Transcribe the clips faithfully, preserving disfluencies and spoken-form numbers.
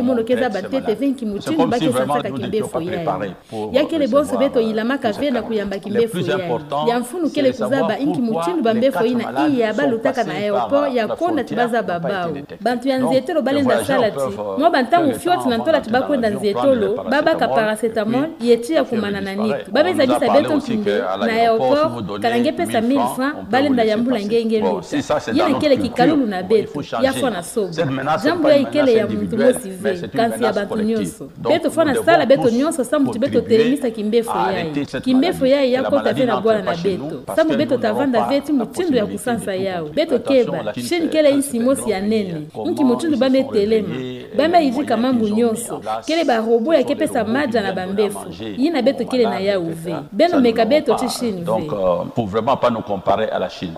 yayi mono ke zaba ntete ve nki mutindu ba ke sansaka kimbefo yayi. Ya kele bonso beto yilamaka ve na kuyamba kimbefo yayi. Ya mfunu kele kuzaba nki mutindu bambefo yina iya ba lutaka na aéroport ya konda ti ba zaba bawu. Bantu ya nzietolo ba lenda sala ti, mwa bantangu fioti na ntola ti ba kwenda nzietolo, ba baka paracétamol, ye tiya kumana na nitu. Ba me zabisa beto mpimbe, na aéroport, kana nge pesa mille francs, ba lenda yambula nge nge luta. Yina kele kikalulu na beto, ya fwana soba. Jambu yayi kele ya muntu mosi ve, kansi ya bantu nyonso. Beto fwana sala beto nyonso samu ti beto telemisa kimbefo yayi. Kimbefo yayi ya kota ve na bwala na beto. Samu beto ta vanda ve ti mutindu ya kusansa yawu. Beto keba, Chine kele insi mosi ya nene. Nki mutindu ba me telema. Ba me yidika mambu nyonso. Kele ba robot ya ke pesa madia na bambefo. Yina beto kele na yawu ve. Beno meka beto ti Chine ve. Donc, euh, faut vraiment pas nous comparer à la Chine.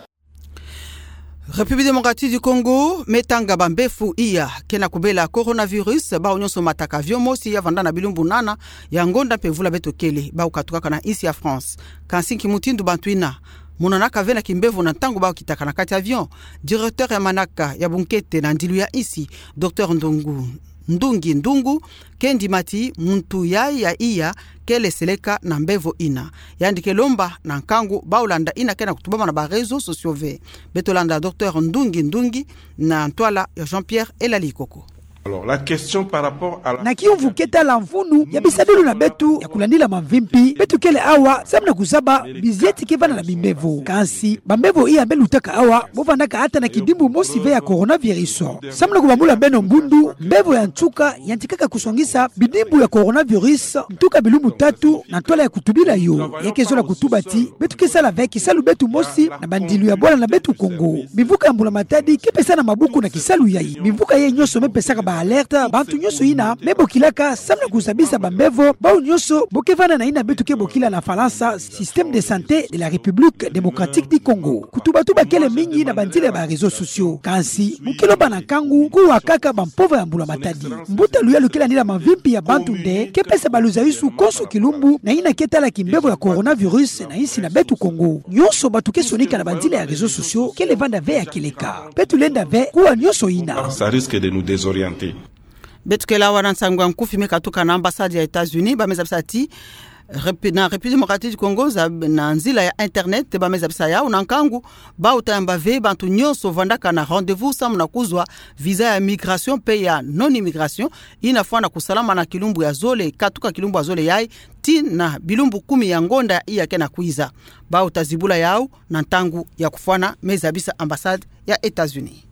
République démocratique du Congo me tanga bambefo iya ke na kubela coronavirus, bawu nyonso mataka avion mosi ya vanda na bilumbu nana ya ngonda mpe vula beto kele, bawu katukaka na insi ya France. Kansi nki mutindu bantu yina monanaka ve na kimbefo na ntangu bawu kitaka na kati avion? Directeur ya manaka ya bunkete na ndilu ya insi, Docteur Ndungu, Ndungi Ndungu, ke ndima ti muntu yayi ya iya kele seleka na mbefo yina. Yandi ke lomba na nkangu bawu landa yina ke na kutubama na ba réseaux sociaux ve. Beto landa Docteur Ndungi Ndungi na ntwala ya Jean-Pierre Elali Koko. Alors, la question par rapport à la... Na kiyumvu ke tala mfunu ya bisadulu na beto ya kulandila mamvimpi, beto kele awa samu na kuzaba bizieti ke vanda na bimbefo. Kansi bambefo iya be lutaka awa, bo vandaka ata na kidimbu mosi ve ya coronavirus. Samu na kubambula beno mbundu, mbefo ya nsuka yantikaka kusongisa bidimbu ya coronavirus nsuka bilumbu tatu na ntwala ya kutubila yo. Ya ke zola kutuba ti beto ke sala ve kisalu beto mosi na bandilu ya bwala na beto Congo. Bimvuka ya mbula matadi ke pesa na mabuku na kisalu yayi. Bimvuka yayi nyonso me pesaka ba alerte, bantu nyonso yina me bokilaka samu na kuzabisa bambefo, bawu nyonso bo ke vanda na yina beto ke bokila na Falansa système de santé de la République démocratique du Congo. Kutubatuba kele mingi na banzila ya ba réseaux sociaux. Kansi mu ke lomba na nkangu kuwa kaka bampovre ya mbula matadi. Mbuta luyalu ke landila mamvimpi ya bantu nde ke pesa ba luzayisu konso kilumbu na yina ke tala kimbefo ya coronavirus na insi na beto Congo. Nyonso bantu ke sonika na banzila ya réseaux sociaux kele vanda ve ya kieleka. Beto lenda ve kuwa nyonso yina. Ça risque de nous désorienter. Beto kele awa na nsangu ya nkufi me katuka na ambassade ya États-Unis, ba me zabisa ti Répu-, na République démocratique du Congo, za-, na nzila ya internet, ba me zabisa yawu na nkangu bawu ta yamba ve bantu nyonso vandaka na rendez-vous samu na kuzwa visa ya migration mpe ya non-immigration, yina fwana kusalama na kilumbu ya zole, katuka kilumbu ya zole yayi, tii na bilumbu kumi ya ngonda iya ke na kwiza. Bawu ta zibula yawu na ntangu ya kufwana, me zabisa ambassade ya États-Unis.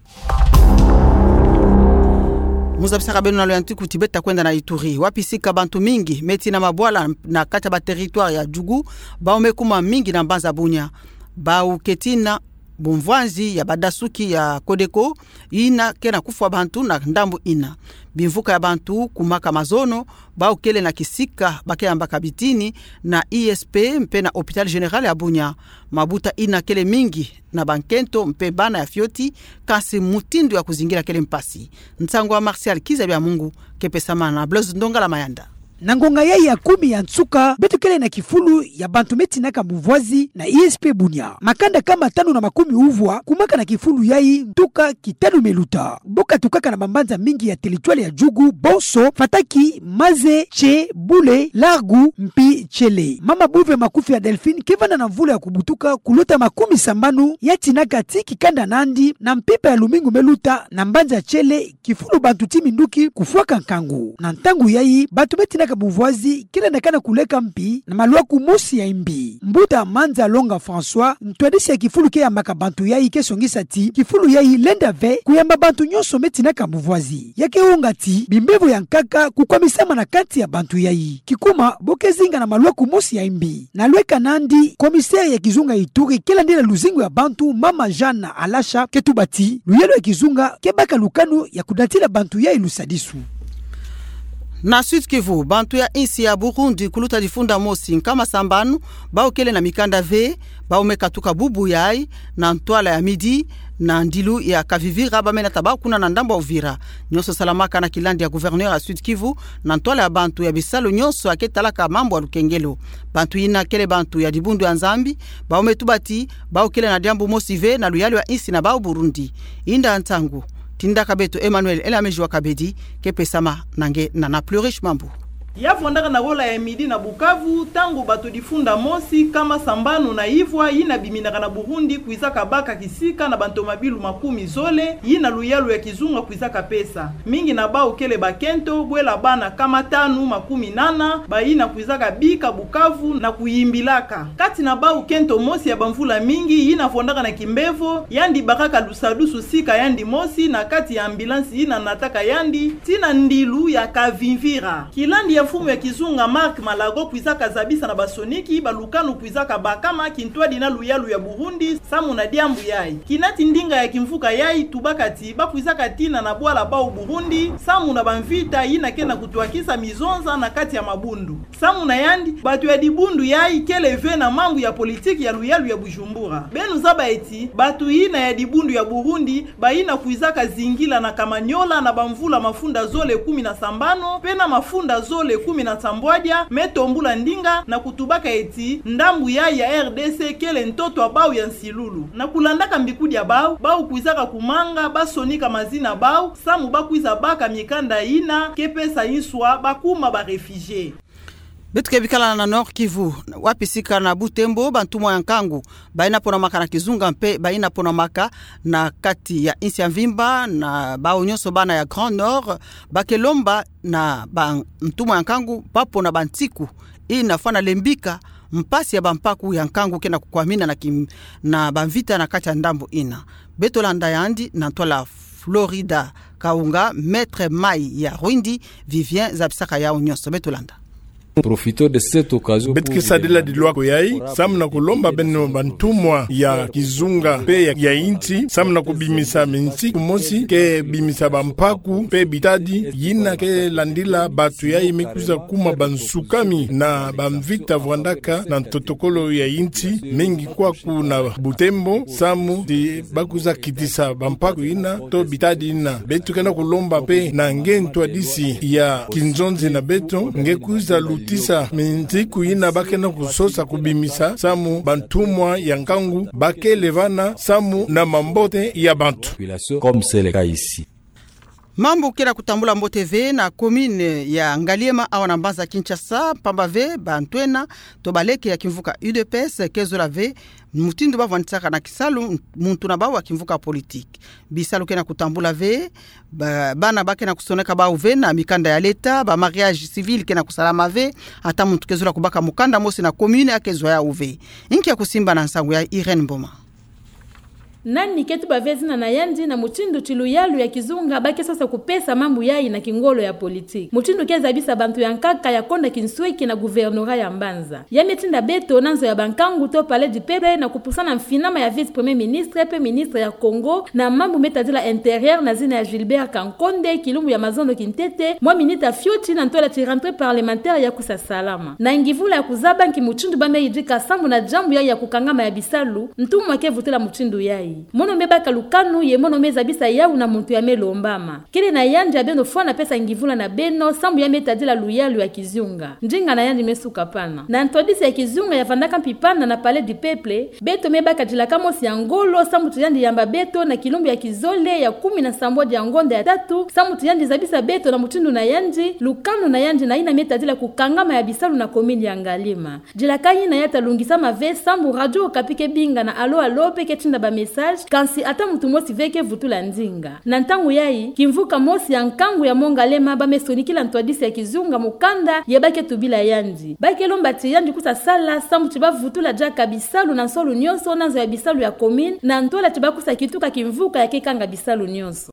Mu zabisaka beno na loyantiku ti beta kwenda na Ituri, wapi sika bantu mingi me tina mabwala na kati ya ba territoire ya Djugu, bawu me kuma mingi na mbanza Bunia. Bawu ke tina bumvwanzi ya badasuki ya Codeco, ina ke na kufwa bantu na ndambu ina. Bimvuka ya bantu kumaka mazono, bawu kele na kisika ba ke yambaka bitini na I S P mpe na Hôpital Général ya Bunia. Mabuta ina kele mingi na bankento mpe bana ya fioti, kansi mutindu ya kuzingila kele mpasi. Nsangu ya Martial Kizabia Mungu, ke pesama na Blaise Ndongala Mayanda. Na ngonga yayi ya kumi ya nsuka, beto kele na kifulu ya bantu me tinaka bumvwazi na I S P Bunia. Makanda kama tanu na makumi uvwa kumaka na kifulu yayi ntuka kitanu me luta. Bo katukaka na bambanza mingi ya territoire ya Djugu, bonso Fataki, Maze, Tse, Bule, Largu, mpi Tiele. Mama Bouve Makoufia Delphine ke vanda na mvula ya kubutuka kulota makumi sambanu, ya tinaka ti kikanda nandi na mpimpa ya lumingu me luta na mbanza Tiele, kifulu bantu ti minduki kufwaka nkangu. Na ntangu yayi, bantu me tinaka bumvwazi kele na kana kuleka mpi na malwaku mosi ya imbi. Mbuta Manza Longa François, ntwadisi ya kifulu ke yambaka bantu yayi, ke songisa ti kifulu yayi lenda ve kuyamba bantu nyonso me tinaka bumvwazi. Ya ke wonga ti bimbevo ya nkaka kukwamisama na kati ya bantu yayi. Kikuma, bo ke zinga na malwaku mosi ya imbi. Na lweka nandi, commissaire ya kizunga Ituri ke landila luzingu ya bantu, Mama Jeanne Alasha, ke tuba ti luyalu ya kizunga ke baka lukanu ya kudatila bantu yayi lusadisu. Na Sud-Kivu, bantu ya insi ya Burundi kuluta difunda mosi nkama sambanu, bawu kele na mikanda ve, bawu me katuka bubu yayi na ntwala ya midi, na ndilu ya Kavivira, ba me nata bawu kuna na ndambu ya Uvira. Nyonso salamaka na kilandi ya gouverneur ya Sud-Kivu, na ntwala ya bantu ya bisalu nyonso ya ke talaka mambu ya lukengelo. Bantu ina kele bantu ya dibundu ya Nzambi, bawu me tuba ti bawu kele na diambu mosi ve na luyalu ya insi na bawu Burundi. Inda ntangu, tindaka beto Emmanuel Elameji wa Kabedi, ke pesama na nge na Nana Plurish Mambu. Ya vwandaka na gola ya midi na Bukavu, ntangu bantu difunda mosi nkama sambanu na ivwa ina biminaka na Burundi kwizaka baka kisika na bantomabilu makumi zole, ina luyalu ya kizunga kwizaka pesa. Mingi na bawu kele bakento, bwela bana nkama tanu makumi nana, ba ina kwizaka bika Bukavu na kuyimbilaka. Kati na bawu kento mosi ya bamvula mingi, ina vwandaka na kimbevo, yandi bakaka lusadusu sika yandi mosi na kati ya ambulance ina nataka yandi, tii na ndilu ya Kavimvira. Kilandi ya mfumu ya kizunga Marc Malago kwizaka zabisa na basoniki balukanu kwizaka bakama kintwadi na luyalu ya Burundi, samu na diambu yayi. Kinati ndinga ya kimvuka yayi tubaka ti bakwizaka tina na bwala bawu Burundi, samu na bamvita ina ke na kutwakisa mizonza na kati ya mabundu. Samu na yandi, bantu ya dibundu yayi kele ve na mambu ya politiki ya luyalu ya Bujumbura. Beno zaba ti bantu ina ya dibundu ya Burundi, ba ina kwizaka zingila na Kamanyola na bamvula mafunda zole kumi na sambanu, pe na mafunda zole kumi na nsambwadia, me tombula ndinga na kutubaka ti ndambu yayi ya R D C kele ntoto ya bawu ya nsilulu. Na kulandaka mbikudi ya bawu, bawu kwizaka kumanga basonika mazina bawu, samu bakwiza baka mikanda ina ke pesa nswa bakuma ba réfugiés. Beto ke bikala na Nord-Kivu, wapi sika na Butembo, bantumwa ya nkangu ba ina ponamaka na kizunga mpe ba ina ponamaka na kati ya insi ya mvimba, na bawu nyonso bana ya Grand Nord, ba ke lomba na bantumwa ya nkangu bapona bantiku ina fwana lembika mpasi ya bampaku ya nkangu ke na kukwamina na kim-, na bamvita na kati ya ndambu ina. Beto landa yandi na ntwala Florida Kaunga, Maître Mai ya Rwindi, Vivien zabisaka yawu nyonso. Beto landa. Profiter de cette occasion. Beto ke sadila dilwako yayi samu na kulomba beno bantumwa ya kizunga mpe ya, ya insi, samu na kubimisa mintiku mosi ke bimisa bampaku mpe bitadi yina ke landila bantu yayi me kwiza kuma bansukami na bamvita vwandaka na ntotokolo ya insi, mingi kwaku na Butembo, samu ti bakwiza kitisa bampaku ina to bitadi ina. Beto ke na kulomba mpe na nge ntwadisi ya kinzonzi na beto, nge kwiza lutisa mintiku ina ba ke na kusosa kubimisa, samu bantumwa ya nkangu ba kele vana samu na mambote ya bantu. Comme c'est le cas ici. Mambu ke na kutambula mbote ve na commune ya Ngaliema awa na mbanza Kinshasa, mpamba ve bantwenya to baleke ya kimvuka U D P S ke zola ve mutindu bavwandisaka na kisalu muntu na bawu wa kimvuka politique. Bisalu ke na kutambula ve, ba-, bana ba ke na kusoneka bawu ve na mikanda ya leta, ba mariage civil ke na kusalama ve, ata muntu ke zola kubaka mukanda mosi na commune a ke zwa yawu ve. Inki ya kusimba na nsangu ya Irène Mboma. Nani ke tuba ve zina na yandi na mutindu ti luyalu ya kizunga ba ke sosa kupesa mambu yayi na kingolo ya politique. Mutindu ke zabisa bantu ya nkaka ya konda kinsweki na gouvernorat ya mbanza. Ya me tinda beto na nzo ya bankangu to Palais du Peuple na kupusana mfinama ya vice-premier ministre pe ministre ya Congo na mambu me tadila intérieur na zina ya Gilbert Kankonde, kilumbu ya mazono kintete, mwa minita fioti na ntwala ti rentrée parlementaire ya kusa salama. Na ngivula ya kuzaba nki mutindu ba me yidika sambu na diambu yayi ya kukangama ya bisalu, ntumwa ke vutula mutindu yayi. Mono me baka lukanu ye mono me zabisa yawu na muntu ya me lombama. Kele na yandi ya beno fwana pesa ngivula na beno, sambu ya me tadila luyalu ya kizunga. Ndinga na yandi me suka pana. Na ntwadisi ya kizunga ya vandaka mpi pana na Palais du Peuple, beto me baka dilaka mosi ya ngolo, sambu ti yandi yamba beto na kilumbu ya kizole ya kumi na sambwadi ya ngonda ya tatu, sambu ti yandi zabisa beto na mutindu na yandi, lukanu na yandi na yina me tadila kukangama ya bisalu na commune ya Ngaliema. Dilaka yina ya ta lungisama ve sambu Radio Okapi ke binga na allô allô pe ke tinda ba message, kansi ata muntu mosi ve ke vutula ndinga. Na ntangu yayi, kimvuka mosi ya nkangu ya Mont Ngaliema ba me sonikila ntwadisi ya kizunga mukanda ye ba ke tubila yandi. Ba ke lomba ti yandi kusa sala sambu ti ba vutula diaka bisalu na nsolu nyonso na nzo ya bisalu ya commune, na ntwala ti ba kusa kituka kimvuka ya ke kanga bisalu nyonso.